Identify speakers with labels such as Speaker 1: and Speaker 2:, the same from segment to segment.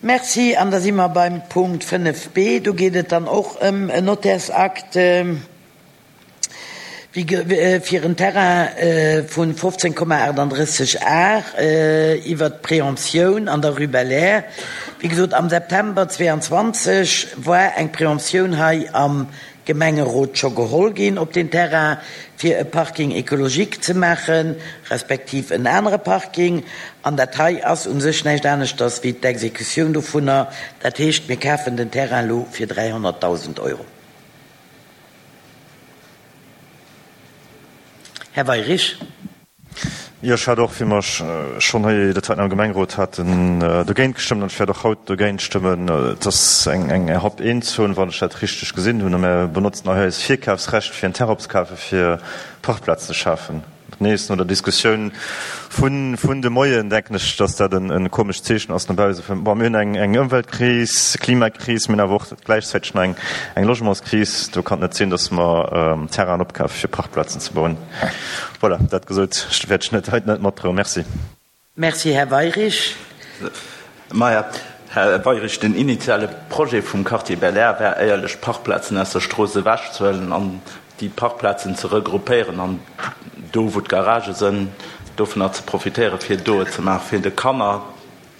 Speaker 1: Merci. An da si mer beim Punkt 5b. Do geet et dann och ëm en Nottärsakt fir en Terrain vu 15,38 Ar iwwert d'Préemptioun an der Rue Belair. Wéi gesot, am September 22 war eng Préemptioun hei am Gemengerot scho geholl ginn op deen Terrain, fir e Parking écologique ze maachen, respektiv en anere Parking. An dat hei ass u sech näischt aneschters wéi d'Exekutioun dovunner. Dat heescht, mir kafen den Terrain elo fir 300.000 Euro. Här Weyrich.
Speaker 2: Jo, ech hat och, wéi mer schonn hei dat heiten am Gemengerot haten, dogéint gestëmmt an ech wäert och haut dogéint stëmmen. Et ass eng Hab I-Zon, wann ech dat richteg gesinn hunn, a mir benotzen hei eist Virkafsrecht, fir en Terrain opzekafen, fir Parkplazen ze schafen. Nees no der Diskussioun vun de Moien denken ech, dass dat e komescht Zeechen ass no bause. Bon, mir hunn eng Ëmweltkris, Klimakris, mir hunn awer och gläichzäiteg nach eng Logementskris. Do kann et net sinn, dass mer Terrainen opkafen, fir Parkplazen ze bauen. Voilà, dat gesot, wäert ech net hei net matdroen. Merci.
Speaker 1: Merci, Här Weyrich.
Speaker 3: Maja, Här Weyrich, den initiale Projet vum Quartier Belair war éierlech, d'Parkplazen aus der Strooss ewechzehuelen an déi Parkplazen ze regroupéieren an do, wou d'Garagë sënn, dovunner ze profitéieren, fir do et ze maachen, fir de Kanner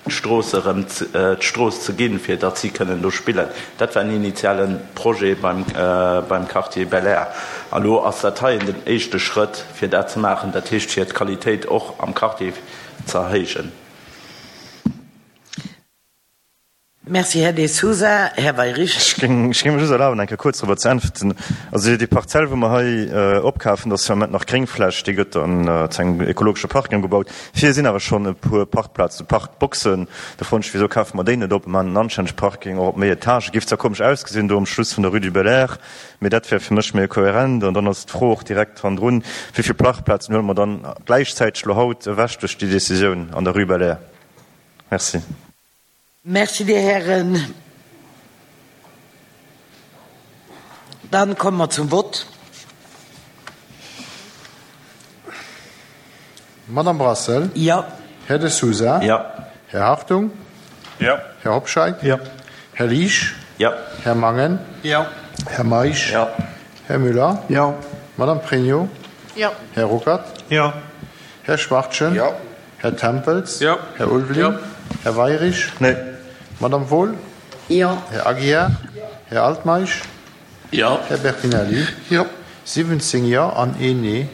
Speaker 3: d'Strooss erëm d'Strooss ze ginn, fir datt si kënnen do spillen. Dat war en initiale Projet beim, beim Quartier Belair. A lo ass dat heien den éischte Schrëtt, fir dat ze maachen, dat heescht fir d'Qualitéit och am Quartier ze erhéijen.
Speaker 1: Merci, Här De Sousa. Här Weyrich.
Speaker 2: Ech géing mer just erlaben, eng Kéier kuerz dorobber ze äntwerten. Also déi Parzell, wou mer hei opkafen, dat ass jo am Moment nach Gréngfläch, déi gëtt dann zu engem ekologesche Parking ëmgebaut. Vir sinn awer schonn e puer Parkplazen, Parkboxen. Do froen ech, Wisou kafe mer déi net op a maachen en anstännege Parking, och op méi Etagë? Géif zwar komesch ausgesinn do um Schluss vun der Rue du Bel-Air, mee dat wär fir mech méi kohärent. An dann ass d'Fro och direkt hannendrun, Wéi vill Parkplazen huele mer dann gläichzäiteg elo haut ewech duerch déi Decisioun an der Rue Bel-Air? Merci.
Speaker 1: Merci, Dir Hären. Dann komme mer zum Vott.
Speaker 4: Madame Brassel?
Speaker 1: Jo.
Speaker 4: Här De Sousa?
Speaker 3: Jo.
Speaker 4: Här Hartung?
Speaker 2: Jo.
Speaker 4: Här Hobscheit?
Speaker 2: Jo.
Speaker 4: Här Liesch?
Speaker 3: Jo.
Speaker 4: Här Mangen?
Speaker 5: Jo.
Speaker 4: Här Meisch?
Speaker 3: Jo.
Speaker 4: Här Müller?
Speaker 5: Jo.
Speaker 4: Madame Pregno?
Speaker 5: Jo.
Speaker 4: Här Ruckert?
Speaker 5: Jo.
Speaker 4: Här Schwachtgen?
Speaker 5: Jo.
Speaker 4: Här Tempels?
Speaker 5: Jo.
Speaker 4: Här Ulveling?
Speaker 5: Jo.
Speaker 4: Här Weyrich?
Speaker 2: Nee.
Speaker 4: Madame Wohl?
Speaker 1: Jo.
Speaker 4: Här Aguiar?
Speaker 5: Jo.
Speaker 4: Här Altmeisch?
Speaker 3: Jo.
Speaker 4: Här Bertinelli?
Speaker 5: Jo.
Speaker 4: 17 Jo an een Nee.